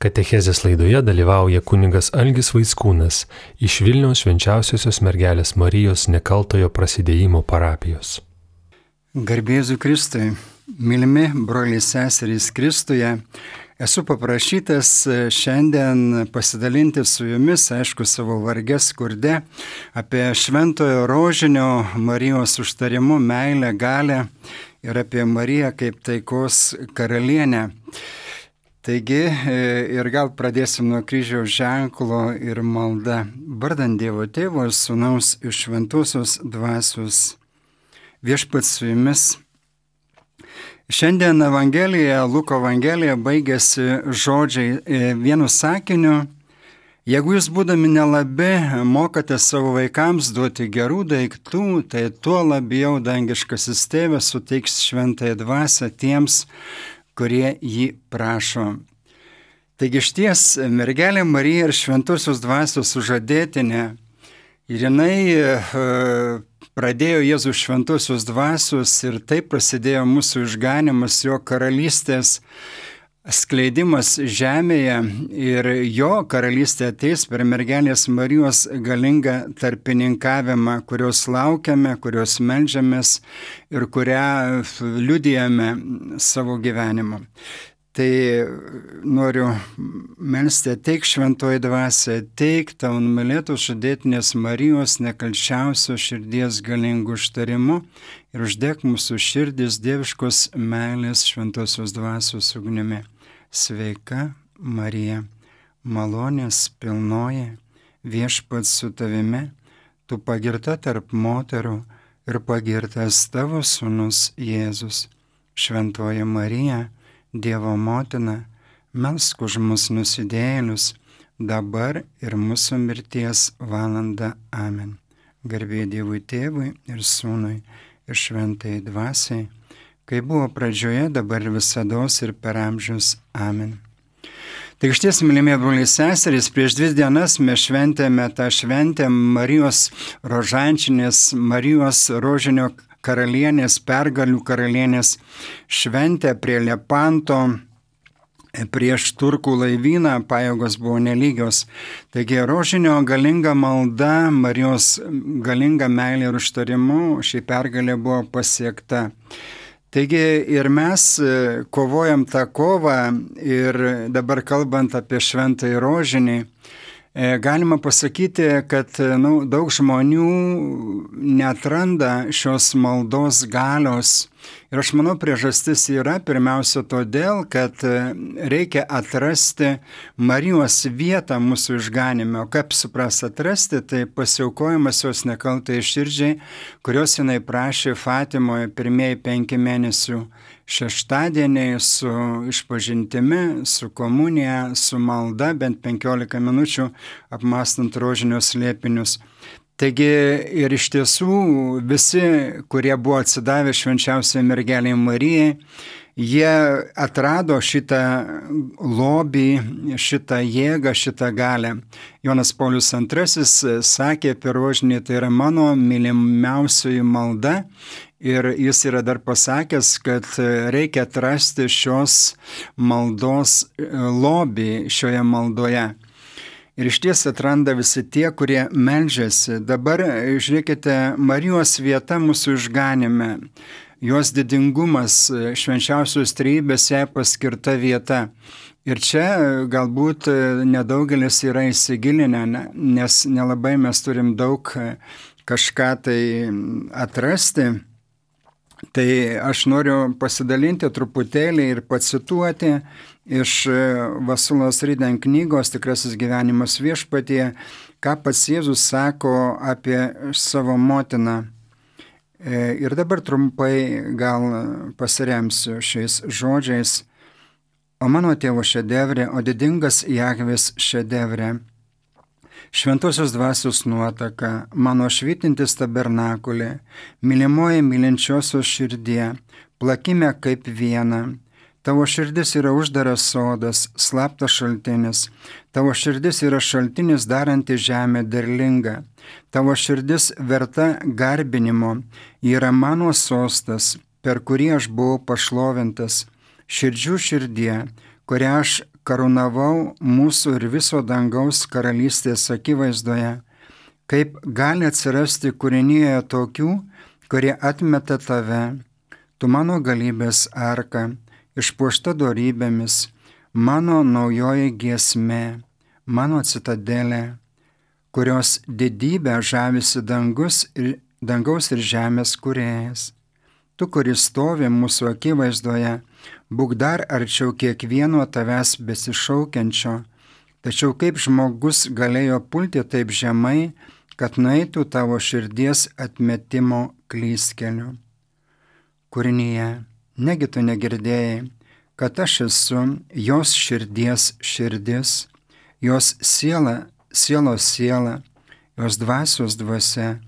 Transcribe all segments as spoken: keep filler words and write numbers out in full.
Katechezės laidoje dalyvauja kunigas Algis Vaickūnas iš Vilniaus Švenčiausiosios Mergelės Marijos Nekaltojo Prasidėjimo parapijos. Garbėzu Kristui, mylimi broliai seserys Kristuje, esu paprašytas šiandien pasidalinti su jumis, aišku, savo varge skurde, apie Šventojo Rožinio Marijos užtarimu, meilę, galę ir apie Mariją kaip taikos karalienę. Taigi, ir gal pradėsim nuo kryžiaus ženklo ir malda. Vardan Dievo Tėvo ir Sūnaus iš Šventosios Dvasios. Viešpats su jumis. Šiandien Evangelija, Luko Evangelija baigėsi žodžiai vienu sakiniu. Jeigu jūs būdami nelabi mokate savo vaikams duoti gerų daiktų, tai tuo labiau dangiškasis Tėvas suteiks šventąją dvasią tiems, kurie jį prašo. Taigi šties mergelė Marija ir Šventosios Dvasios sužadėtinė, ir jinai e, pradėjo Jėzus Šventosios Dvasios ir taip prasidėjo mūsų išganimas, jo karalystės skleidimas žemėje, ir jo karalystė ateis per mergelės Marijos galingą tarpininkavimą, kurios laukiame, kurios meldžiamės ir kurią liudijame savo gyvenimu. Tai noriu melsti, ateik šventoji dvasia, ateik tau numylėtos žadėtinės Marijos nekalčiausios širdies galingų užtarimu ir uždek mūsų širdis dieviškos meilės šventosios dvasios ugnimi. Sveika Marija, malonės pilnoji, viešpats su tavimi, tu pagirta tarp moterų ir pagirtas tavo sūnus Jėzus. Šventoji Marija, Dievo motina, melsk už mus nusidėjėlius, dabar ir mūsų mirties valanda. Amen. Garbė Dievui Tėvui ir Sūnui ir šventai dvasiai, kai buvo pradžioje, dabar visados ir per amžius. Amen. Tai išties, mylimi broliai seserys, prieš dvi dienas mes šventėme tą šventę Marijos rožančinės, Marijos rožinio karalienės, pergalių karalienės šventę prie Lepanto, prieš turkų laivyną, pajėgos buvo nelygios. Taigi rožinio galinga malda, Marijos galinga meilė ir užtarimu, ši pergalė buvo pasiekta. Taigi ir mes kovojam tą kovą, ir dabar kalbant apie šventąjį rožinį, galima pasakyti, kad nu, daug žmonių neatranda šios maldos galios. Ir aš manau, priežastis yra pirmiausia todėl, kad reikia atrasti Marijos vietą mūsų išganime. O kaip supras atrasti, tai pasiaukojimas jos nekaltai širdžiai, kurios jinai prašė Fatimoje pirmieji penki mėnesių šeštadieniai su išpažintimi, su komunija, su malda, bent penkiolika minučių apmąstant rožinios slėpinius. Taigi ir iš tiesų visi, kurie buvo atsidavę švenčiausiai mergelei Marijai, jie atrado šitą lobį, šitą jėgą, šitą galę. Jonas Paulius antrasis sakė apie rožinį, tai yra mano mylimiausioji malda. Ir jis yra dar pasakęs, kad reikia atrasti šios maldos lobį šioje maldoje. Ir iš ties atranda visi tie, kurie meldžiasi. Dabar žiūrėkite, Marijos vieta mūsų išganime, jos didingumas, švenčiausios trejybės jai paskirta vieta. Ir čia galbūt nedaugelis yra įsigilinę, nes nelabai mes turim daug kažką tai atrasti. Tai aš noriu pasidalinti truputėlį ir pacituoti iš Vasulos Ryden knygos Tikrasis gyvenimas viešpatyje, ką pats Jėzus sako apie savo motiną. Ir dabar trumpai gal pasiremsiu šiais žodžiais. O mano tėvo šedevrė, o didingas Jahvės šedevrė. Šventosios dvasios nuotaka, mano švytintis tabernakulė, mylimoji mylinčiosios širdie, plakime kaip viena. Tavo širdis yra uždaras sodas, slaptas šaltinis. Tavo širdis yra šaltinis daranti žemę derlingą. Tavo širdis verta garbinimo, yra mano sostas, per kurį aš buvau pašlovintas. Širdžių širdie, kurią aš karūnavau mūsų ir viso dangaus karalystės akivaizdoje, kaip gali atsirasti kūrinyje tokių, kurie atmeta tave, tu mano galybės arka, išpuošta dorybėmis, mano naujoji giesmė, mano citadelė, kurios didybę žavisi dangus ir, dangaus ir žemės kūrėjas. Tu, kuris stovi mūsų akivaizdoje, būk dar arčiau kiekvieno tavęs besišaukiančio, tačiau kaip žmogus galėjo pulti taip žemai, kad nueitų tavo širdies atmetimo klystkeliu. Kūrinyje, negi tu negirdėjai, kad aš esu jos širdies širdis, jos siela, sielos siela, jos dvasios dvasia.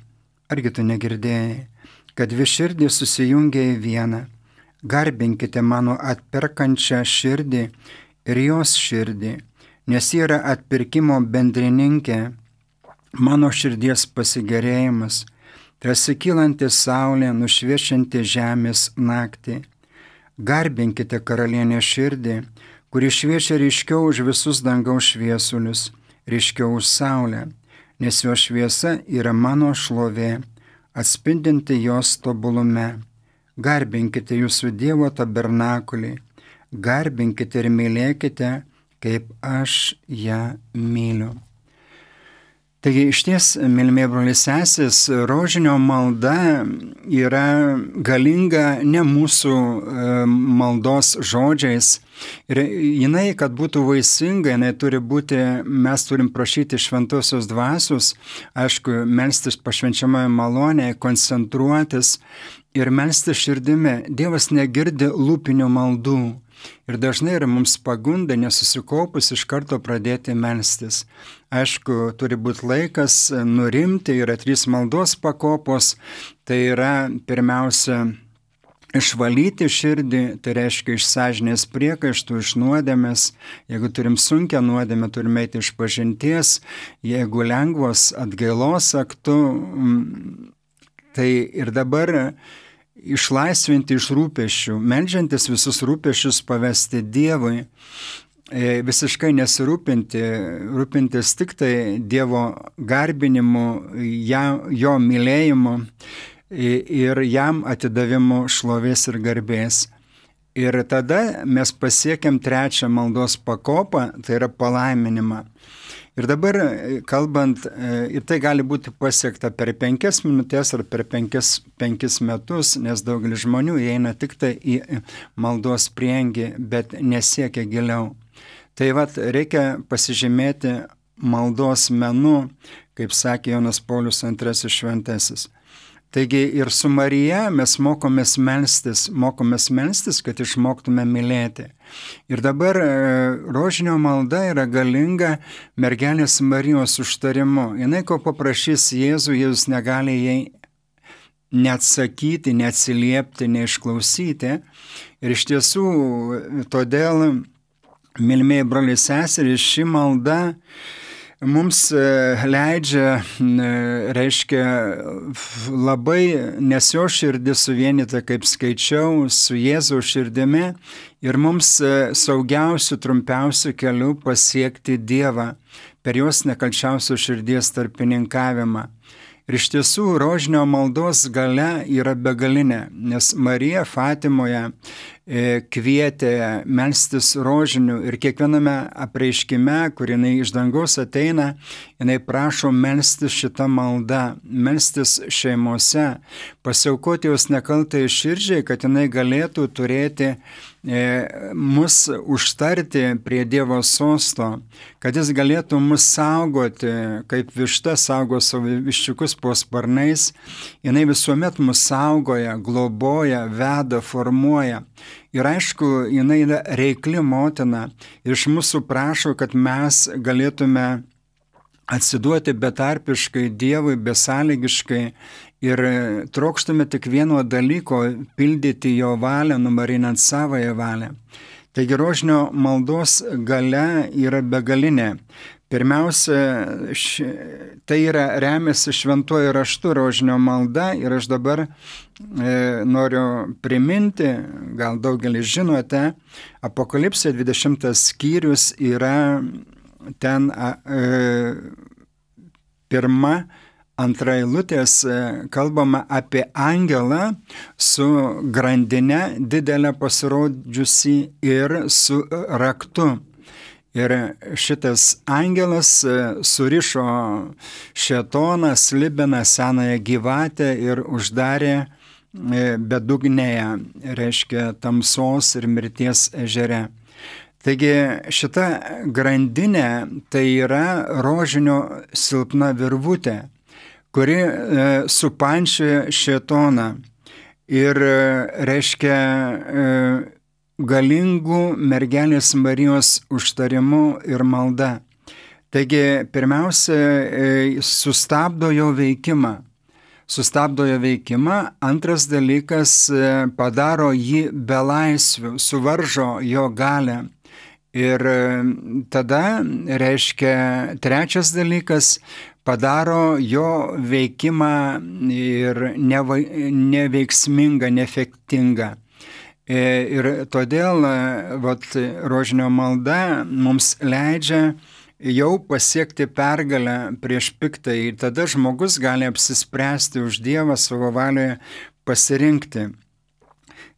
Argi tu negirdėjai, kad dvi širdys susijungia į vieną? Garbinkite mano atperkančią širdį ir jos širdį, nes ji yra atpirkimo bendrininkė, mano širdies pasigerėjimas, tarsi kylanti saulė nušviečianti žemės naktį. Garbinkite karalienę širdį, kuri šviečia ryškiau už visus dangaus šviesulius, ryškiau už saulę, nes jo šviesa yra mano šlovė, atspindinti jos tobulume. Garbinkite jūsų Dievo tabernakulį, garbinkite ir mylėkite, kaip aš ją myliu. Taigi išties, mylimi broliai sesės, rožinio malda yra galinga ne mūsų maldos žodžiais. Ir jinai, kad būtų vaisinga, jinai turi būti, mes turim prašyti šventosios dvasios, aišku, melstis pašvenčiamoje malonėje, koncentruotis ir melstis širdimi. Dievas negirdi lūpinių maldų. Ir dažnai yra mums pagunda nesusikaupus iš karto pradėti melstis. Aišku, turi būti laikas nurimti, yra trys maldos pakopos, tai yra pirmiausia išvalyti širdį, tai reiškia iš sąžinės priekaištų, iš nuodėmės. Jeigu turim sunkią nuodėmę, turime eiti iš pažinties, jeigu lengvos atgailos aktu, tai ir dabar išlaisvinti iš rūpesčių, meldžiantis visus rūpesčius pavesti Dievui, visiškai nesirūpinti, rūpintis tik tai Dievo garbinimu, jo mylėjimu ir jam atidavimu šlovės ir garbės. Ir tada mes pasiekiam trečią maldos pakopą, tai yra palaiminimą. Ir dabar kalbant, ir tai gali būti pasiekta per penkias minutės ar per penkis, penkis metus, nes daugelis žmonių įeina tik tai į maldos priengį, bet nesiekia giliau. Tai vat reikia pasižymėti maldos menu, kaip sakė Jonas Paulius antrasis šventasis. Taigi ir su Marija mes mokomės melstis, mokomės melstis, kad išmoktume mylėti. Ir dabar rožinio malda yra galinga mergelės Marijos užtarimu. Jinai ko paprašys Jėzų, Jėzus negali jai neatsakyti, neatsiliepti, neišklausyti. Ir iš tiesų, todėl, mylimieji broliai seserys, ši malda mums leidžia, reiškia, labai nes jo širdis suvienyta, kaip skaičiau, su Jėzaus širdimi ir mums saugiausių, trumpiausių kelių pasiekti Dievą per jos nekalčiausios širdies tarpininkavimą. Ir iš tiesų rožinio maldos galia yra begalinė, nes Marija Fatimoje kvietė melstis rožinių ir kiekviename apreiškime, kur jinai iš dangaus ateina, jinai prašo melstis šitą maldą, melstis šeimose, pasiaukoti jos nekaltai širdžiai, kad jinai galėtų turėti e, mus užtarti prie Dievo sosto, kad jis galėtų mus saugoti, kaip višta saugo savo viščiukus po sparnais, jinai visuomet mus saugoja, globoja, veda, formuoja. Ir aišku, jinai yra reikli motina ir iš mūsų prašo, kad mes galėtume atsiduoti betarpiškai Dievui, besąlygiškai ir trokštume tik vieno dalyko - pildyti jo valią, numarinant savąją valią. Taigi rožinio maldos galia yra begalinė. Pirmiausia, š, tai yra remiasi šventuoju raštu rožinio malda ir aš dabar e, noriu priminti, gal daugelis žinote, Apokalipsė dvidešimtas skyrius yra ten e, pirma, antra eilutės kalbama apie angelą su grandine didelę pasirodžiusi ir su raktu. Ir šitas angelas surišo šėtoną, slibiną, senąją gyvatę ir uždarė bedugnėje, reiškia tamsos ir mirties ežere. Taigi šita grandinė tai yra rožinio silpna virvutė, kuri e, supančioja šėtoną ir e, reiškia e, galingų mergelės Marijos užtarimu ir malda. Taigi pirmiausia, e, sustabdo jo veikimą. Sustabdo jo veikimą. Antras dalykas, e, padaro jį belaisviu, suvaržo jo galią. Ir tada, reiškia, trečias dalykas, padaro jo veikimą ir neva, neveiksmingą, neefektingą. Ir todėl vat, rožinio malda mums leidžia jau pasiekti pergalę prieš piktąjį. Ir tada žmogus gali apsispręsti už Dievą savo valioje pasirinkti.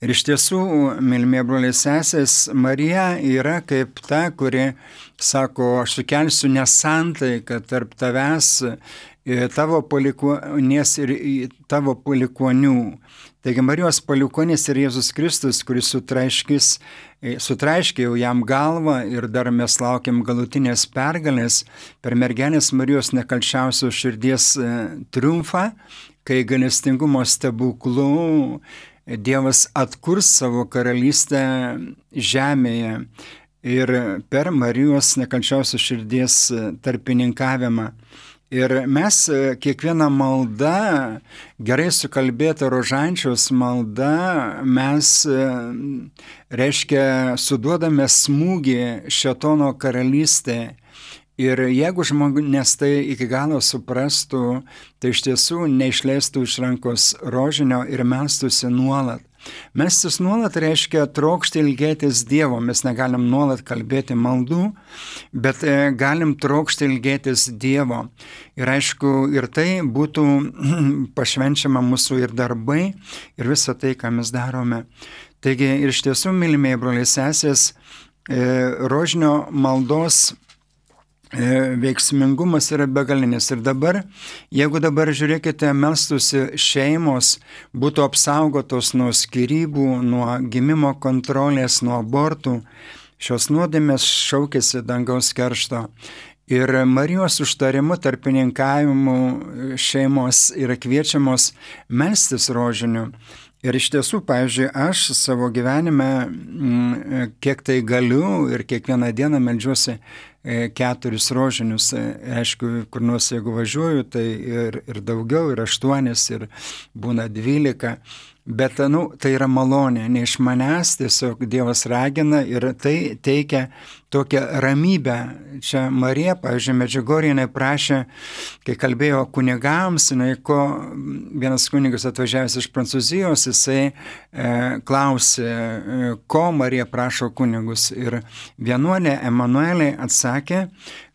Ir iš tiesų, mylimieji broliai sesės, Marija yra kaip ta, kuri sako, aš sukelsiu nesantaiką tarp tavęs, tavo palikuonies ir tavo palikuonių. Taigi Marijos palikuonis ir Jėzus Kristus, kuris sutraiškis, sutraiškė jau jam galvą ir dar mes laukiam galutinės pergalės per mergelės Marijos nekalčiausios širdies triumfą, kai gailestingumo stebuklų Dievas atkurs savo karalystę žemėje ir per Marijos nekalčiausios širdies tarpininkavimą. Ir mes kiekvieną maldą, gerai sukalbėtą rožančiaus maldą, mes, reiškia, suduodame smūgį šėtono karalystėje. Ir jeigu žmonės tai iki galo suprastų, tai iš tiesų neišleistų iš rankos rožinio ir melstųsi nuolat. Melstis nuolat reiškia trokšti ilgėtis Dievo. Mes negalim nuolat kalbėti maldų, bet galim trokšti ilgėtis Dievo. Ir aišku, ir tai būtų pašvenčiama mūsų ir darbai, ir visa tai, ką mes darome. Taigi ir iš tiesų, mylimieji broliai sesės, rožinio maldos veiksmingumas yra begalinis. Ir dabar, jeigu dabar žiūrėkite, melstųsi šeimos, būtų apsaugotos nuo skyrybų, nuo gimimo kontrolės, nuo abortų, šios nuodėmės šaukėsi dangaus keršto. Ir Marijos užtarimu, tarpininkavimu šeimos yra kviečiamos melstis rožiniu. Ir iš tiesų, pavyzdžiui, aš savo gyvenime, kiek tai galiu ir kiekvieną dieną meldžiuosi keturis rožinius. Aišku, kur nors jeigu važiuoju, tai ir, ir daugiau, ir aštuonis, ir būna dvylika. Bet, nu, tai yra malonė, ne iš manęs, tiesiog Dievas ragina ir tai teikia tokią ramybę. Čia Marija, pavyzdžiui, Medžiugorjė prašė, kai kalbėjo kunigams, jinai, ko vienas kunigas atvažiavęs iš Prancūzijos, jisai e, klausė, e, ko Marija prašo kunigus. Ir vienuolė Emanuelė atsakė,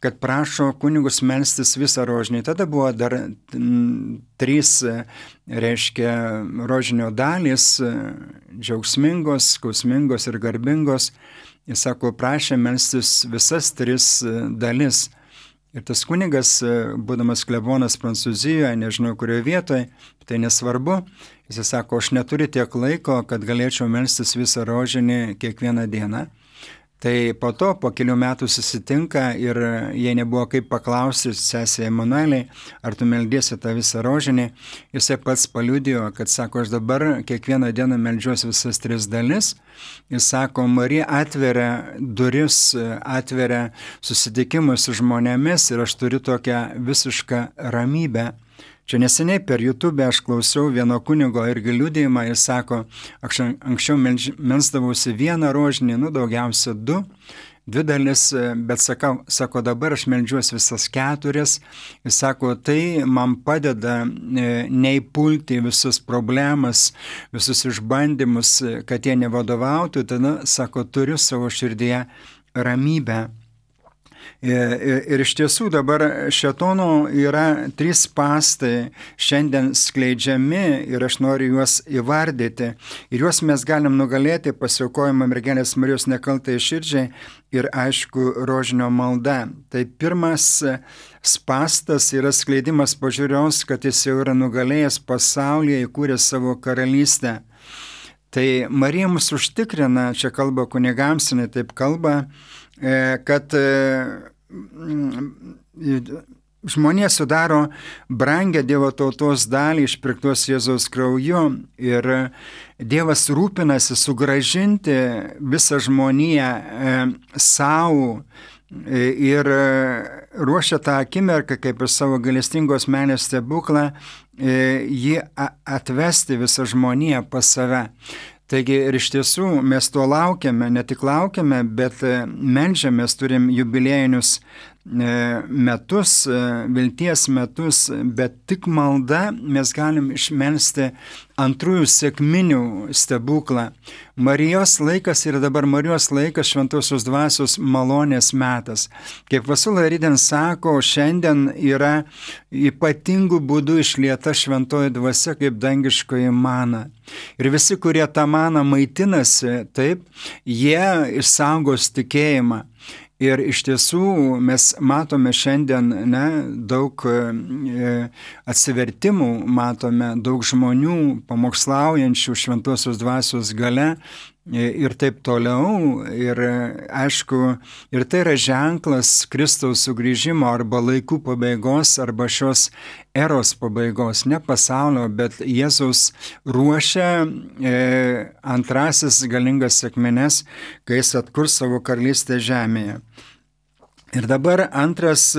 kad prašo kunigus melstis visą rožinį. Tada buvo dar m, trys, reiškia, rožinio dalys, džiaugsmingos, skausmingos ir garbingos. Jis sako, prašė melstis visas tris dalis. Ir tas kunigas, būdamas klebonas Prancūzijoje, nežinau kurioje vietoje, tai nesvarbu, jis sako, aš neturiu tiek laiko, kad galėčiau melstis visą rožinį kiekvieną dieną. Tai po to, po kelių metų susitinka ir jei nebuvo kaip paklausti sesė Emanuelė, ar tu meldiesi tą visą rožinį, jisai pats paliudijo, kad sako, aš dabar kiekvieną dieną meldžiuosi visas tris dalis. Jis sako, Marija atveria duris, atveria susitikimus su žmonėmis ir aš turiu tokią visišką ramybę. Čia neseniai per YouTube aš klausiau vieno kunigo irgi liudijimą, jis sako, aš anksčiau melsdavausi vieną rožinį, nu daugiausia du, dvi dalis, bet sakau, sako, dabar aš meldžiuosi visas keturias. Jis sako, tai man padeda neįpulti visus problemas, visus išbandymus, kad jie nevadovautų, tada, sako, turiu savo širdyje ramybę. Ir, ir iš tiesų dabar šėtono yra trys spąstai šiandien skleidžiami ir aš noriu juos įvardyti. Ir juos mes galim nugalėti pasiaukojimą mergelės Marijos nekaltai širdžiai ir aišku rožinio malda. Tai pirmas spąstas yra skleidimas pažiūrios, kad jis jau yra nugalėjęs pasaulyje, įkūręs savo karalystę. Tai Marija mus užtikrina, čia kalba kunigams, jinai taip kalba, kad žmonės sudaro brangę Dievo tautos dalį išpirktos Jėzaus krauju ir Dievas rūpinasi sugrąžinti visą žmoniją savo ir ruošia tą akimirką, kaip ir savo gailestingos meilės stebuklą, jį atvesti visą žmoniją pas save. Taigi ir iš tiesų mes to laukiame, ne tik laukiame, bet meldžiamės, turim jubiliejinius metus, vilties metus, bet tik malda mes galim išmelsti antrųjų sekminių stebuklą. Marijos laikas yra dabar Marijos laikas, šventosios dvasios malonės metas. Kaip Vasula Riden sako, šiandien yra ypatingų būdų išlieta šventoji dvasia kaip dangiškoji mana. Ir visi, kurie tą maną maitinasi, taip, jie išsaugos tikėjimą. Ir iš tiesų mes matome šiandien ne, daug e, atsivertimų, matome daug žmonių pamokslaujančių šventosios dvasios gale e, ir taip toliau. Ir aišku, ir tai yra ženklas Kristaus sugrįžimo arba laikų pabaigos arba šios eros pabaigos, ne pasaulio, bet Jėzaus ruošia e, antrasis galingas sekmines, kai jis atkurs savo karalystę žemėje. Ir dabar antras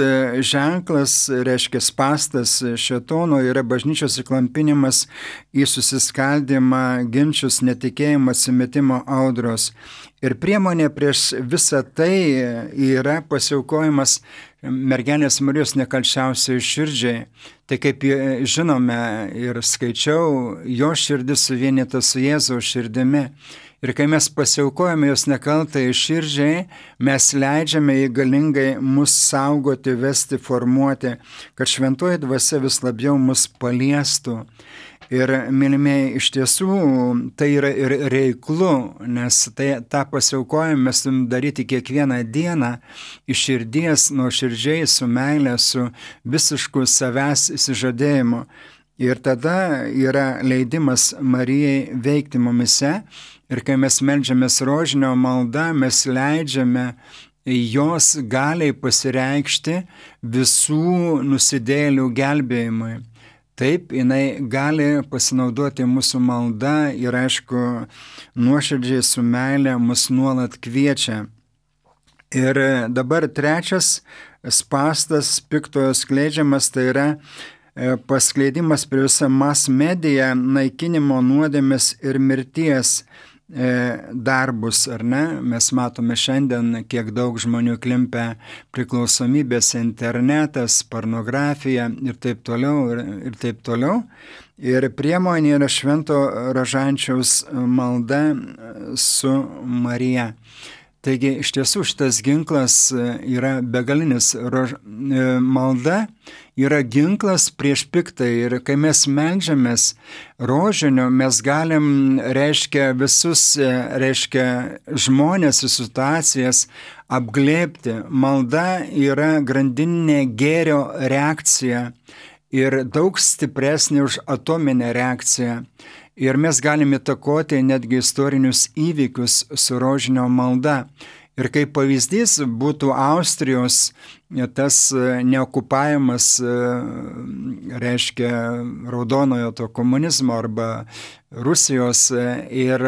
ženklas, reiškia spąstas šėtono, yra bažnyčios įklampinimas į susiskaldimą, ginčius, netikėjimą, atsimetimo audros. Ir priemonė prieš visą tai yra pasiaukojimas mergelės Marijos nekalčiausiai širdžiai. Tai kaip žinome ir skaičiau, jo širdis suvienyta su Jėzaus širdimi. Ir kai mes pasiaukojame jos nekaltai širdžiai, mes leidžiame jį galingai mus saugoti, vesti, formuoti, kad šventoji dvasia vis labiau mus paliestų. Ir, mylimieji, iš tiesų tai yra ir reiklu, nes tai, tą pasiaukojimą mes turim daryti kiekvieną dieną iš širdies, nuo širdžiai, su meilė, su visišku savęs įsižadėjimu. Ir tada yra leidimas Marijai veikti mumise. Ir kai mes meldžiamės rožinio malda, mes leidžiame jos galiai pasireikšti visų nusidėjėlių gelbėjimui. Taip, jinai gali pasinaudoti mūsų malda ir, aišku, nuoširdžiai su meilė mus nuolat kviečia. Ir dabar trečias spąstas piktojo skleidžiamas, tai yra paskleidimas per visą mass mediją, naikinimo nuodėmės ir mirties darbus, ar ne? Mes matome šiandien, kiek daug žmonių klimpia priklausomybės, internetas, pornografija ir taip toliau, ir, ir taip toliau. Ir priemonė yra švento rožančiaus malda su Marija. Taigi iš tiesų šitas ginklas yra begalinis. Rož... Malda yra ginklas prieš piktą ir kai mes meldžiamės rožinio, mes galim, reiškia, visus, reiškia, žmonės ir situacijas apglėbti. Malda yra grandininė gėrio reakcija ir daug stipresnė už atominę reakciją. Ir mes galime įtakoti netgi istorinius įvykius su rožinio malda. Ir kaip pavyzdys būtų Austrijos tas neokupavimas, reiškia, raudonojo to komunizmo arba Rusijos, ir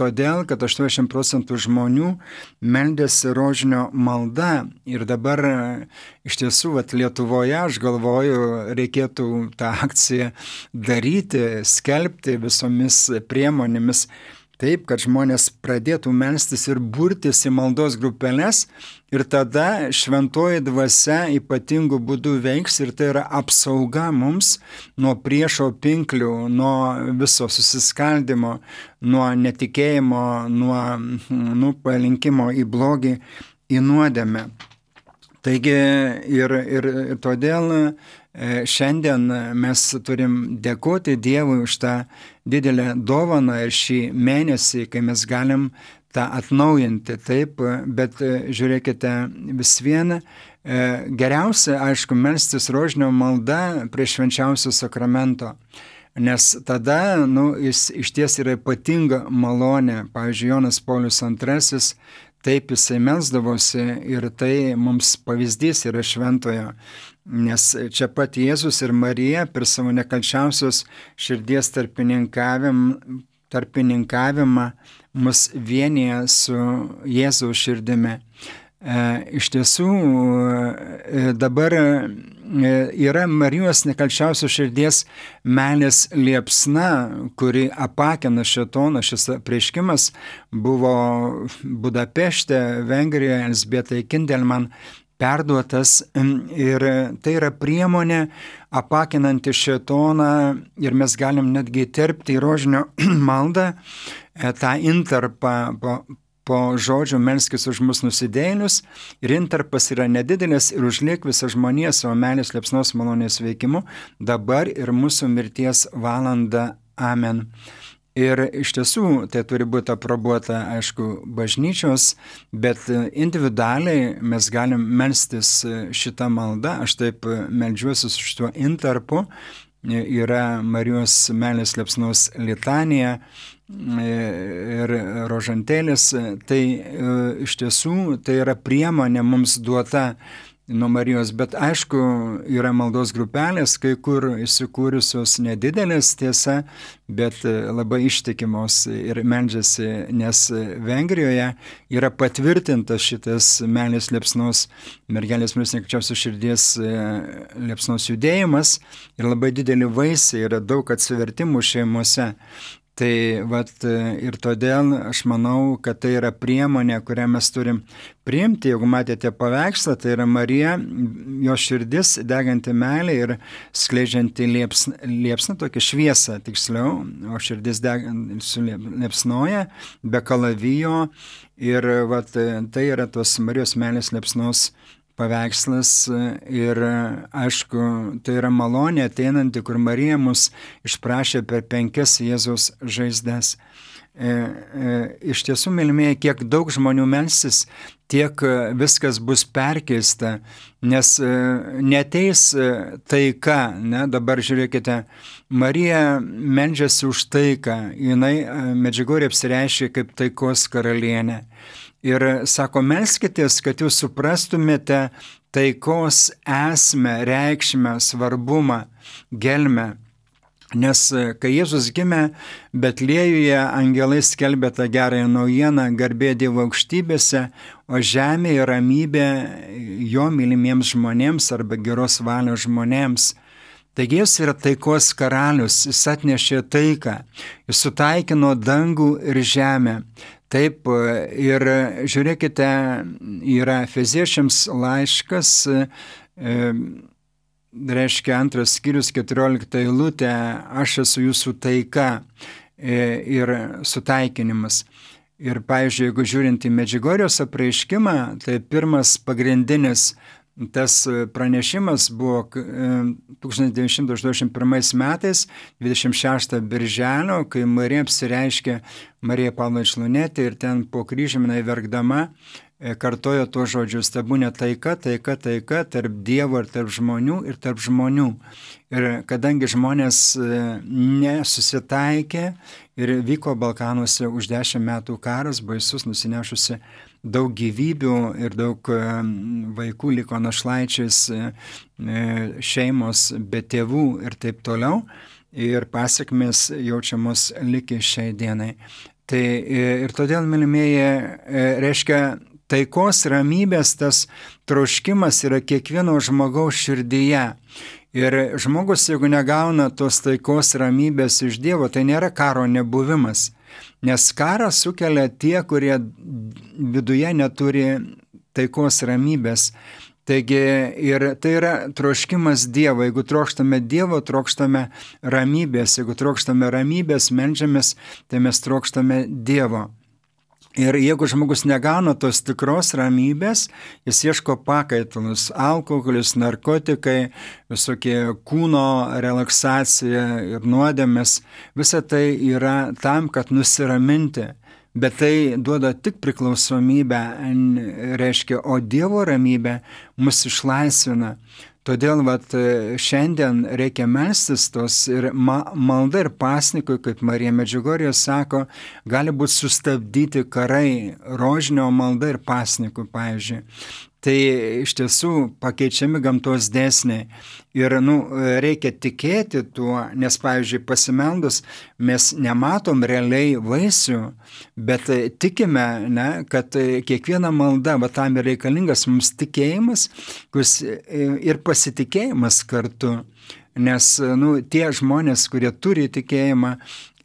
todėl, kad aštuoniasdešimt procentų žmonių meldėsi rožinio malda. Ir dabar iš tiesų, vat, Lietuvoje, aš galvoju, reikėtų tą akciją daryti, skelbti visomis priemonėmis, taip, kad žmonės pradėtų melstis ir burtis į maldos grupeles, ir tada šventoji dvasia ypatingų būdų veiks, ir tai yra apsauga mums nuo priešo pinklių, nuo viso susiskaldimo, nuo netikėjimo, nuo nu, palinkimo į blogį, į nuodėmę. Taigi ir, ir, ir todėl šiandien mes turim dėkoti Dievui už tą didelę dovaną ir šį mėnesį, kai mes galim tą atnaujinti, taip, bet žiūrėkite, vis viena, geriausia, aišku, melstis rožinio malda prie švenčiausio sakramento, nes tada, nu, jis iš ties yra ypatinga malonė. Pavyzdžiui, Jonas Paulius antrasis, taip jisai melsdavosi, ir tai mums pavyzdys yra šventojo. Nes čia pat Jėzus ir Marija per savo nekalčiausios širdies tarpininkavimą, tarpininkavimą mus vienyje su Jėzaus širdimi. E, iš tiesų, e, dabar yra Marijos nekalčiausios širdies meilės liepsna, kuri apakina šėtoną. Šis apreiškimas buvo Budapešte, Vengrijoje, Elzbietai Kindelman perduotas, ir tai yra priemonė apakinanti šėtoną, ir mes galim netgi terpti į rožinio maldą tą intarpą po, po žodžių melskis už mus nusidėjėlius, ir intarpas yra nedidelis, ir užliek visą žmoniją savo meilės liepsnos malonės veikimu, dabar ir mūsų mirties valanda. Amen. Ir iš tiesų tai turi būti aprobuota, aišku, bažnyčios, bet individualiai mes galim melstis šitą maldą. Aš taip meldžiuosi su šituo intarpu. Yra Marijos meilės liepsnos litanija ir rožantėlis. Tai iš tiesų tai yra priemonė mums duota nuo Marijos, bet aišku, yra maldos grupelės, kai kur įsikūrusios nedidelės, tiesa, bet labai ištikimos ir meldžiasi, nes Vengrijoje yra patvirtintas šitas meilės liepsnos, mergelės Marijos nekalčiausios širdies liepsnos judėjimas, ir labai didelį vaisiai, yra daug atsivertimų šeimose. Tai vat, ir todėl aš manau, kad tai yra priemonė, kurią mes turim priimti. Jeigu matėte paveikslą, tai yra Marija, jo širdis deganti meilė ir skleidžianti liepsną, liepsną tokią šviesą, tiksliau, o širdis liepsnoja be kalavijo, ir vat, tai yra tos Marijos meilės liepsnos paveikslas. Ir aišku, tai yra malonė ateinanti, kur Marija mus išprašė per penkias Jėzaus žaizdas. E, e, iš tiesų, mylimieji, kiek daug žmonių melsis, tiek viskas bus perkeista, nes e, neteis taika. Ne? Dabar žiūrėkite, Marija meldžiasi už taiką, jinai Medžiugorje apsireiškė kaip taikos karalienė. Ir sako, melskitės, kad jūs suprastumėte taikos esmę, reikšmę, svarbumą, gelmę. Nes kai Jėzus gimė Betliejuje, angelai skelbė tą gerąją naujieną, garbė Dievo aukštybėse, o žemėje ramybė jo mylimiems žmonėms arba geros valios žmonėms. Taigi jis yra taikos karalius, jis atnešė taiką, jis sutaikino dangų ir žemę. Taip, ir žiūrėkite, yra Efeziečiams laiškas, e, reiškia antras skyrius, keturiolikta eilutė, aš esu jūsų taika e, ir sutaikinimas. Ir, pavyzdžiui, jeigu žiūrint į Medžiugorjos apreiškimą, tai pirmas pagrindinis tas pranešimas buvo tūkstantis devyni šimtai aštuoniasdešimt pirmais metais, dvidešimt šeštą birželio, kai Marija apsireiškė Marija Pavlovič Lunetė, ir ten po kryžiumi verkdama kartojo tuos žodžius: tebūnie taika, taika, taika tarp Dievo ir tarp žmonių ir tarp žmonių. Ir kadangi žmonės nesusitaikė ir vyko Balkanuose už dešimt metų karas, baisus, nusinešusi daug gyvybių ir daug vaikų liko našlaičiais, šeimos be tėvų ir taip toliau. Ir pasiekmes jaučiamos liki šiai dienai. Tai ir todėl, mylimieji, reiškia, taikos, ramybės tas troškimas yra kiekvieno žmogaus širdyje. Ir žmogus, jeigu negauna tos taikos, ramybės iš Dievo, tai nėra karo nebuvimas. Nes karą sukelia tie, kurie viduje neturi taikos, ramybės. Taigi ir tai yra troškimas Dievo. Jeigu trokštame Dievo, trokštame ramybės. Jeigu trokštame ramybės, meldžiamės, tai mes trokštame Dievo. Ir jeigu žmogus negauna tos tikros ramybės, jis ieško pakaitalus, alkoholis, narkotikai, visokie kūno relaksacija ir nuodėmės. Visa tai yra tam, kad nusiraminti. Bet tai duoda tik priklausomybę, reiškia, o Dievo ramybė mus išlaisvina. Todėl vat, šiandien reikia melstis tos ir ma, malda ir pasnikui, kaip Marija Medžiugorjė sako, gali būti sustabdyti karai, rožinio malda ir pasnikui, pavyzdžiui. Tai iš tiesų pakeičiami gamtos dėsniai. Ir nu, reikia tikėti tuo, nes, pavyzdžiui, pasimeldus mes nematom realiai vaisių, bet tikime, ne, kad kiekviena malda, va tam yra reikalingas mums tikėjimas, kuris ir pasitikėjimas kartu. Nes nu, tie žmonės, kurie turi tikėjimą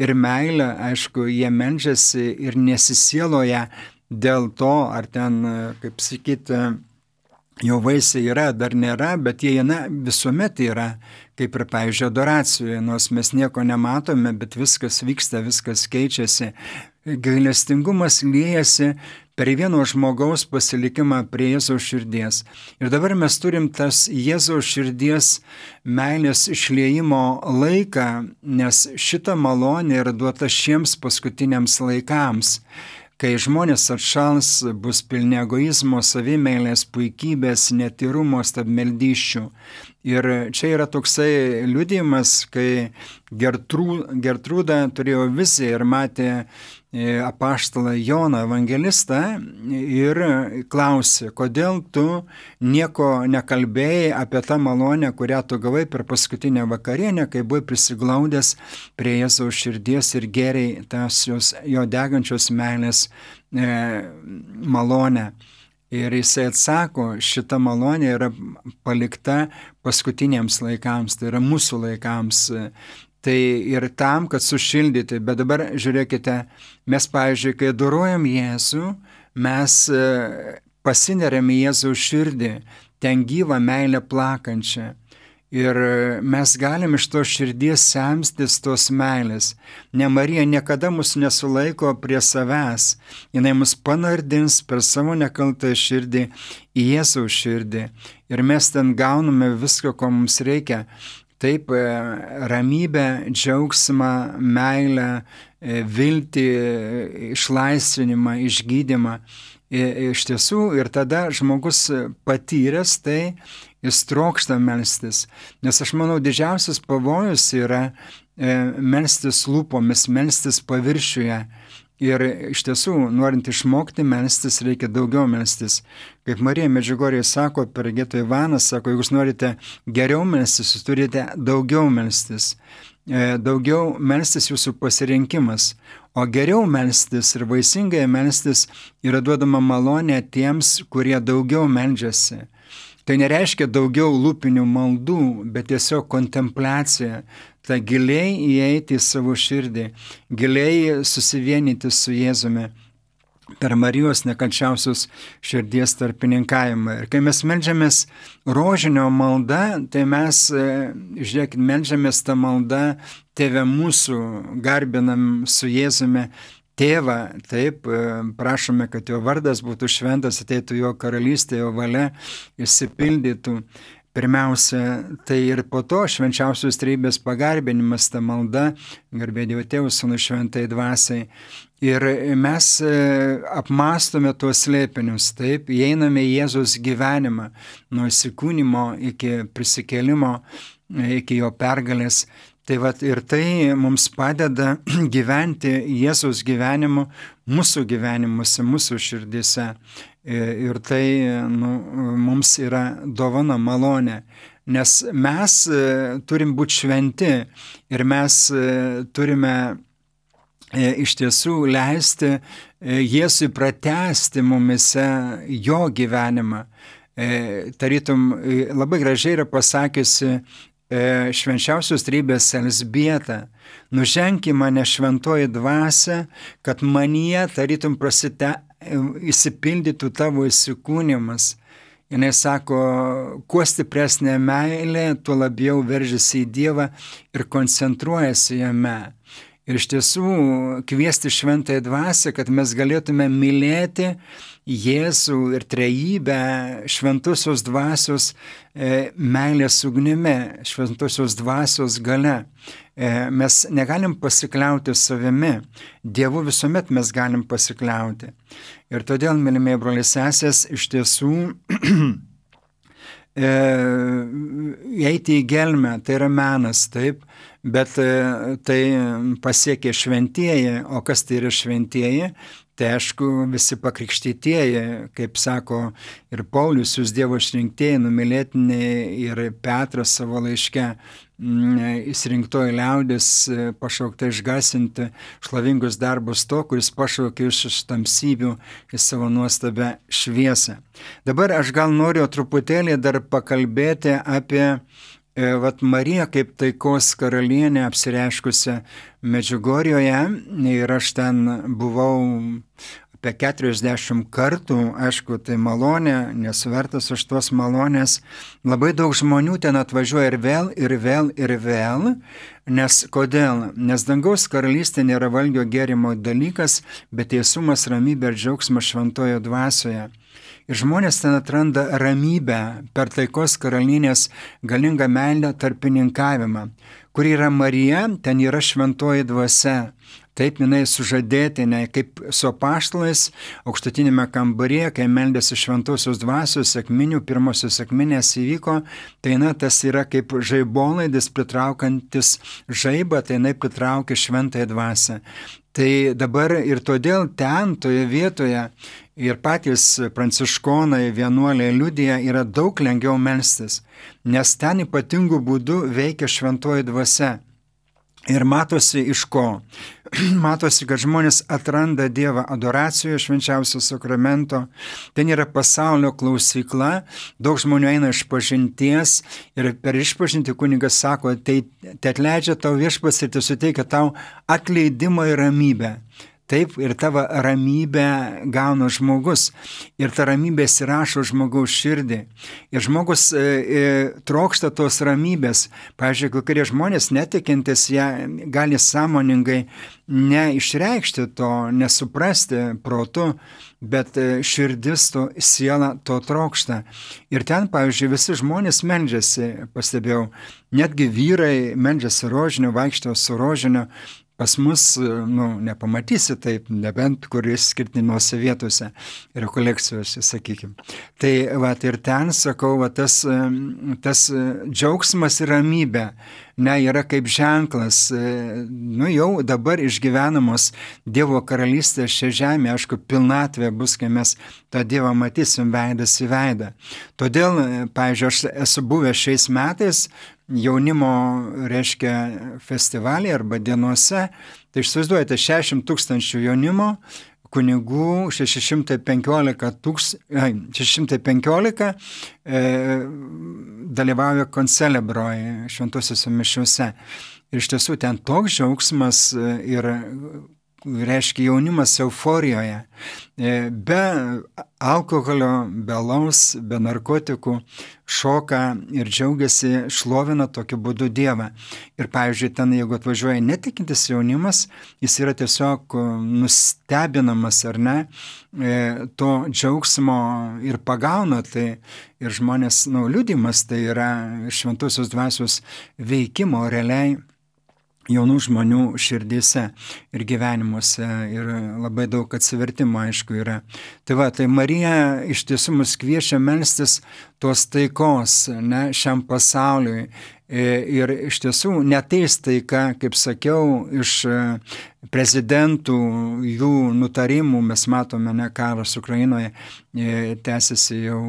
ir meilę, aišku, jie meldžiasi ir nesisieloja dėl to, ar ten, kaip sakyti, jo vaisiai yra, dar nėra, bet jie na, visuomet yra, kaip ir, pavyzdžiui, adoracijoje, nors mes nieko nematome, bet viskas vyksta, viskas keičiasi. Gailestingumas liejasi per vieno žmogaus pasilikimą prie Jėzaus širdies. Ir dabar mes turim tas Jėzaus širdies meilės išliejimo laiką, nes šita malonė yra duota šiems paskutiniams laikams. Kai žmonės atšals, bus pilni egoizmo, savimeilės, puikybės, netyrumo, stabmeldysčių. Ir čia yra toksai liudijimas, kai Gertrū, Gertrūda turėjo viziją ir matė apaštalą Joną evangelistą ir klausė, kodėl tu nieko nekalbėjai apie tą malonę, kurią tu gavai per paskutinę vakarienę, kai buvai prisiglaudęs prie Jėzaus širdies ir gėrei tas jos, jo degančios meilės e, malonę. Ir jisai atsako, šita malonė yra palikta paskutiniams laikams, tai yra mūsų laikams. Tai ir tam, kad sušildyti. Bet dabar žiūrėkite, mes, pavyzdžiui, kai adorojam Jėzų, mes pasineriam į Jėzaus širdį, ten gyvą meilę plakančią. Ir mes galim iš to širdies semstis tos meilės. Ne, Marija niekada mus nesulaiko prie savęs. Jinai mus panardins per savo nekaltą širdį į Jėzaus širdį. Ir mes ten gauname viską, ko mums reikia. Taip, ramybę, džiaugsmą, meilę, viltį, išlaisvinimą, išgydymą. Iš tiesų, ir tada žmogus patyręs tai, jis trokšta melstis. Nes aš manau, didžiausias pavojus yra melstis lūpomis, melstis paviršiuje. Ir iš tiesų, norint išmokti melstis, reikia daugiau melstis. Kaip Marija Medžiugorjė sako per Gėtą Ivaną, sako, jeigu jūs norite geriau melstis, jūs turite daugiau melstis. Daugiau melstis jūsų pasirinkimas. O geriau melstis ir vaisingai melstis yra duodama malonė tiems, kurie daugiau meldžiasi. Tai nereiškia daugiau lūpinių maldų, bet tiesiog kontempliacija. Tai giliai įeiti į savo širdį, giliai susivienyti su Jėzumi per Marijos nekalčiausios širdies tarpininkavimą. Ir kai mes meldžiamės rožinio malda, tai mes, žiūrėkit, meldžiamės tą maldą, Tėve mūsų, garbinam su Jėzumi Tėvą, taip, prašome, kad jo vardas būtų šventas, ateitų jo karalystė, jo valia išsipildytų. Pirmiausia, tai ir po to švenčiausios trejybės pagarbinimas, ta malda, garbė Dievo Tėvui, Sūnui, Šventai Dvasiai. Ir mes apmastome tuos slėpinius, taip, įeiname į Jėzaus gyvenimą, nuo įsikūnymo iki prisikėlimo, iki jo pergalės. Tai vat ir tai mums padeda gyventi Jėzaus gyvenimu, mūsų gyvenimuose, mūsų širdise. Ir tai nu, mums yra dovana, malonė. Nes mes turim būti šventi ir mes turime iš tiesų leisti Jėzui pratęsti mumise jo gyvenimą. Tarytum, labai gražiai yra pasakiusi švenčiausios trejybės Elzbieta: nuženk į mane šventoji dvasia, kad manyje tarytum prasite įsipildytų tavo įsikūnimas. Jis sako, kuo stipresnė meilė, tuo labiau veržiasi į Dievą ir koncentruojasi jame. Ir iš tiesų kviesti šventąją dvasią, kad mes galėtume mylėti Jėzų ir trejybę šventosios dvasios e, meilės ugnimi, šventosios dvasios gale. E, mes negalim pasikliauti savimi, Dievu visuomet mes galim pasikliauti. Ir todėl, mylimieji broliai sesės, iš tiesų e, eiti į gelmę, tai yra menas, taip, bet e, tai pasiekė šventieji. O kas tai yra šventieji? Tai aišku, visi pakrikštytieji, kaip sako ir Paulius, jūs Dievo išrinktieji, numylėtiniai, ir Petras savo laiške, išrinktoji liaudis, pašaukta išgarsinti šlovingus darbus to, kuris pašaukė iš tamsybių į savo nuostabę šviesą. Dabar aš gal noriu truputėlį dar pakalbėti apie Vat Marija kaip taikos karalienė apsireiškusi Medžiugorjoje, ir aš ten buvau apie keturiasdešimt kartų, aišku, tai malonė, nesuvertas už tuos malonės. Labai daug žmonių ten atvažiuoja ir vėl, ir vėl, ir vėl. Nes kodėl? Nes dangaus karalystė nėra valgio gėrimo dalykas, bet teisumas, ramybė ir džiaugsmas šventojo dvasioje. Ir žmonės ten atranda ramybę per taikos karalienės galingą meilę tarpininkavimą. Kur yra Marija, ten yra šventoji dvasia. Taip jinai sužadėtinė, kaip su apaštalais aukštutinėme kambaryje, kai meldėsi šventosios dvasios sekminių, pirmosios sekminės įvyko, tai na, tas yra kaip žaibolaidis pritraukantis žaibą, tai jinai pritraukia šventąją dvasią. Tai dabar ir todėl ten, toje vietoje, ir patys pranciškonai, vienuoliai liudija, yra daug lengviau melstis, nes ten ypatingų būdų veikia šventoji dvasia. Ir matosi iš ko? Matosi, kad žmonės atranda Dievą adoracijoje švenčiausio sakramento, ten yra pasaulio klausykla, daug žmonių eina iš pažinties ir per išpažintį kunigas sako, tai te atleidžia tau viešpats ir tai suteikia tau atleidimą ir ramybę. Taip, ir tavo ramybę gauna žmogus. Ir ta ramybė įsirašo žmogaus širdį. Ir žmogus e, e, trokšta tos ramybės. Pavyzdžiui, kai kurie žmonės netikintis, jie gali sąmoningai neišreikšti to, nesuprasti protu, bet širdis to, siela to trokšta. Ir ten, pavyzdžiui, visi žmonės meldžiasi, pastebėjau, netgi vyrai meldžiasi rožinio, vaikšto su rožinio. Pas mus, nu, nepamatysi taip, nebent kuris skirtinose vietose, rekolekcijose, sakykime. Tai va, ir ten, sakau, va, tas, tas džiaugsmas ir ramybė, ne, yra kaip ženklas, nu, jau dabar išgyvenamos Dievo karalystės šią žemę, aišku, pilnatvė bus, kai mes tą Dievą matysim veidas į veidą. Todėl, pavyzdžiui, aš esu buvęs šiais metais jaunimo, reiškia, festivalį arba dienose, tai išsivaizduojate šešiasdešimt tūkstančių jaunimo, kunigų šeši šimtai penkiolika, tūks, šeši šimtai penkiolika e, dalyvauja koncelebroje šventosiuose mišiuose. Ir iš tiesų ten toks džiaugsmas ir reiškia jaunimas euforijoje, be alkoholio, be alaus, be narkotikų, šoka ir džiaugiasi, šlovina tokiu būdu Dievą. Ir pavyzdžiui, ten, jeigu atvažiuoja netikintis jaunimas, jis yra tiesiog nustebinamas, ar ne, to džiaugsmo ir pagauna, tai ir žmonės, nu, liudijimas, tai yra šventosios dvasios veikimo realiai jaunų žmonių širdyse ir gyvenimuose ir labai daug atsivertimo, aišku, yra. Tai va, tai Marija iš tiesų mus kviečia melstis tos taikos, ne, šiam pasauliui. Ir iš tiesų neteis taika, kaip sakiau, iš prezidentų, jų nutarimų, mes matome, ne, karas Ukrainoje tęsiasi jau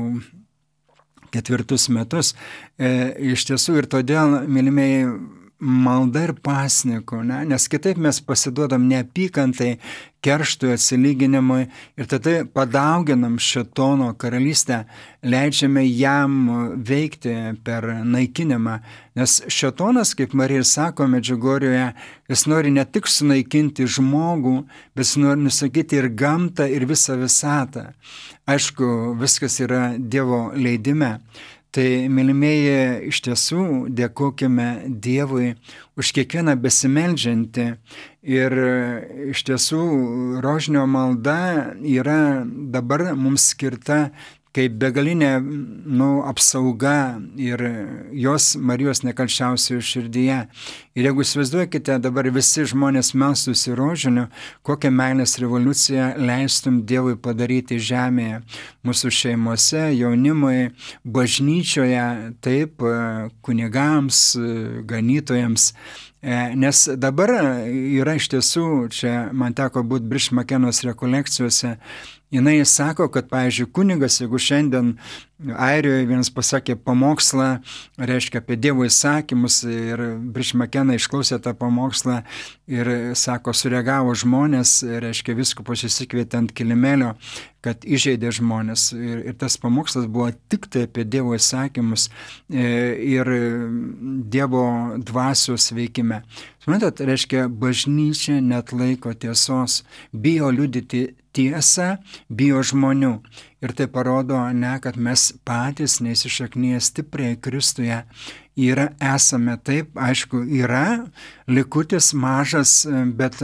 ketvirtus metus. Iš tiesų ir todėl, mylimieji, malda ir pasniku, ne? Nes kitaip mes pasiduodam neapykantai, kerštui, atsilyginimui ir tada padauginam šėtono karalystę, leidžiame jam veikti per naikinimą. Nes šėtonas, kaip Marija ir sako Medžiugorjoje, jis nori ne tik sunaikinti žmogų, bet jis nori nusakyti ir gamtą, ir visą visatą. Aišku, viskas yra Dievo leidime. Tai, mylimieji, iš tiesų dėkokime Dievui už kiekvieną besimeldžiantį ir iš tiesų rožinio malda yra dabar mums skirta kaip begalinė, nu, apsauga ir jos Marijos nekalčiausioje širdyje. Ir jeigu įsivaizduokite, dabar visi žmonės melstųsi rožiniu, kokią meilės revoliuciją leistum Dievui padaryti žemėje, mūsų šeimose, jaunimui, bažnyčioje, taip, kunigams, ganytojams. Nes dabar yra iš tiesų, čia man teko būti Brish Makenos rekolekcijose, jinai sako, kad, pavyzdžiui, kunigas, jeigu šiandien Airijoje vienas pasakė pamokslą, reiškia apie Dievo įsakymus ir Brish Makena išklausė tą pamokslą ir, sako, sureagavo žmonės, reiškia viskupas įsikvietė ant kilimėlio, kad įžeidė žmonės. Ir, ir tas pamokslas buvo tik tai apie Dievo įsakymus ir Dievo dvasios veikime. Suprantat, reiškia, bažnyčia net laiko tiesos, bijo liudyti tiesą, bijo žmonių. Ir tai parodo, ne, kad mes patys neįsišaknyję stipriai Kristuje yra, esame taip, aišku, yra likutis mažas, bet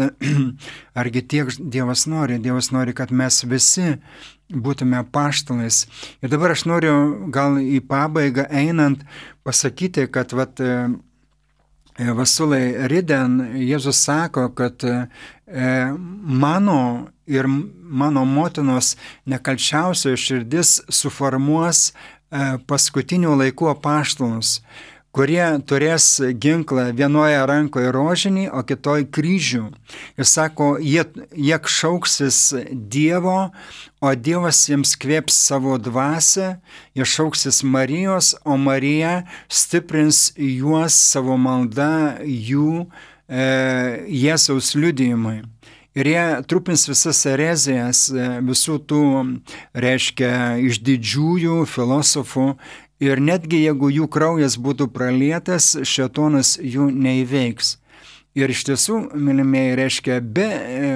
argi tiek Dievas nori? Dievas nori, kad mes visi būtume apaštalais. Ir dabar aš noriu gal į pabaigą einant pasakyti, kad vat, Vasulai Riden, Jėzus sako, kad e, mano ir mano motinos nekalčiausioji širdis suformuos e, paskutinių laikų apaštalus, kurie turės ginklą vienoje rankoje rožinį, o kitoj kryžių. Ir sako, jie, jie šauksis Dievo, o Dievas jiems kvėps savo dvasią, jie šauksis Marijos, o Marija stiprins juos savo malda jų e, Jėzaus liudijimui. Ir jie trupins visas erezijas, visų tų, reiškia, iš didžiųjų filosofų. Ir netgi jeigu jų kraujas būtų pralietas, šėtonas jų neįveiks. Ir iš tiesų, mylimieji, reiškia, be e,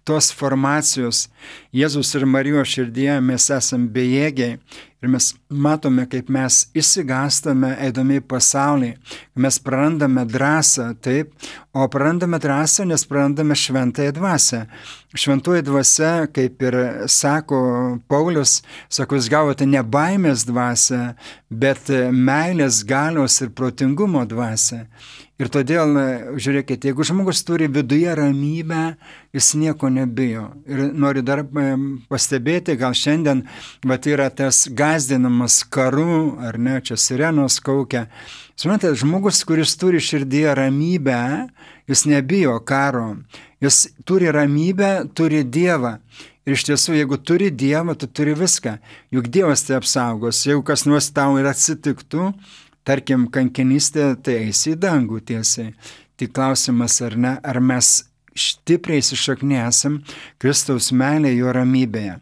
tos formacijos Jėzus ir Marijos širdyje mes esame bejėgiai. Ir mes matome, kaip mes išsigąstame eidami į pasaulį, mes prarandame drąsą, taip, o prarandame drąsą, nes prarandame šventąją dvasią. Šventoji dvasia, kaip ir sako Paulius, sako, jūs gavote ne baimės dvasią, bet meilės, galios ir protingumo dvasią. Ir todėl, žiūrėkite, jeigu žmogus turi viduje ramybę, jis nieko nebijo. Ir noriu dar pastebėti, gal šiandien vat, yra tas gazdinamas karu, ar ne, čia sirenos kaukia. Suprantate, žmogus, kuris turi širdyje ramybę, jis nebijo karo. Jis turi ramybę, turi Dievą. Ir iš tiesų, jeigu turi Dievą, tu turi viską. Juk Dievas tai apsaugos. Jeigu kas nors tau ir atsitiktų, tarkim, kankinystė, tai eisi į dangų tiesiai. Tik klausimas, ar ne, ar mes stipriai įsišaknę esam Kristaus meilė jo ramybėje.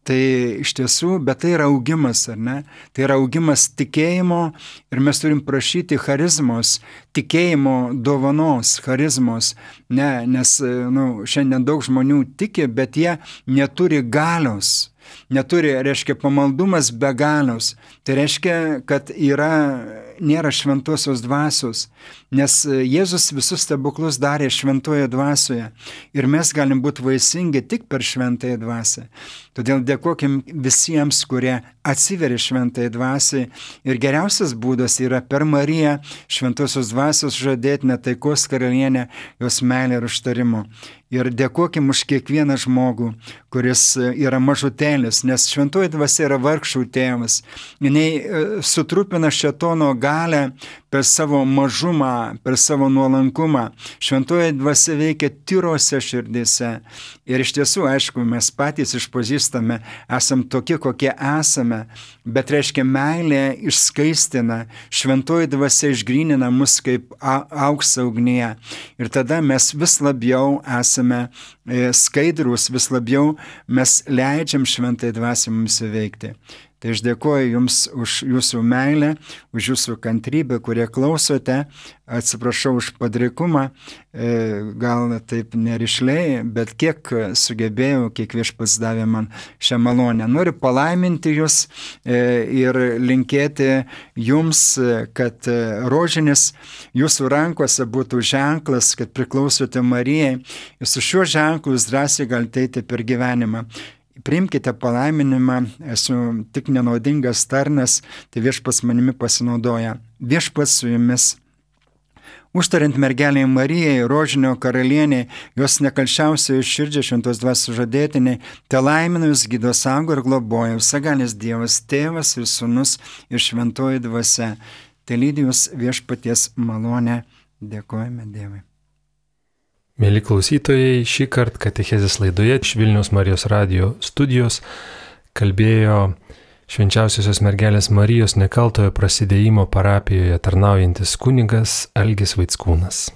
Tai iš tiesų, bet tai yra augimas, ar ne? Tai yra augimas tikėjimo ir mes turim prašyti charizmos, tikėjimo dovanos, charizmos. Ne, nes nu, šiandien daug žmonių tiki, bet jie neturi galios. neturi, reiškia, pamaldumas be galios. Tai reiškia, kad yra, nėra šventosios dvasios, nes Jėzus visus stebuklus darė šventoje dvasioje ir mes galim būti vaisingi tik per šventąją dvasią. Todėl dėkokim visiems, kurie atsiveria šventai dvasiai ir geriausias būdas yra per Mariją, šventosios dvasios žadėtinę, taikos karalienę, jos meilę ir užtarimo. Ir dėkokim už kiekvieną žmogų, kuris yra mažutėlis, nes šventoji dvasia yra vargšų tėvas. Jis sutrupina šėtono galę per savo mažumą, per savo nuolankumą. Šventoji dvasia veikia tyrose širdise. Ir iš tiesų, aišku, mes patys išpažįstame, esam tokie, kokie esame, bet reiškia meilė išskaistina, šventoji dvasia išgrynina mus kaip auksą ugnyje. Ir tada mes vis labiau esame skaidrus, vis labiau mes leidžiam šventai dvasiai mums įveikti. Tai aš dėkoju Jums už Jūsų meilę, už Jūsų kantrybę, kurie klausote. Atsiprašau už padrikumą, gal taip nerišliai, bet kiek sugebėjau, kiek Viešpats davė man šią malonę. Noriu palaiminti Jūs ir linkėti Jums, kad rožinis Jūsų rankose būtų ženklas, kad priklausote Marijai. Ir su šiuo ženklu Jūs drąsiai galite eiti per gyvenimą. Priimkite palaiminimą, esu tik nenaudingas tarnas, tai Viešpats manimi pasinaudoja. Viešpats su Jumis. Užtariant mergelei Marijai, rožinio karalienei, jos nekalčiausioje širdžiai šventos dvasios žadėtiniai, te laimina Jūs, gydo, saugo ir globoja visagalis Dievas, Tėvas ir Sūnus ir šventoji dvasia. Te lydi Jūs Viešpaties malonę. Dėkojame Dievui. Mėly klausytojai, šį kartą katechezės laidoje iš Vilniaus Marijos radijo studijos kalbėjo Švenčiausiosios mergelės Marijos nekaltojo prasidėjimo parapijoje tarnaujantis kunigas Algis Vaickūnas.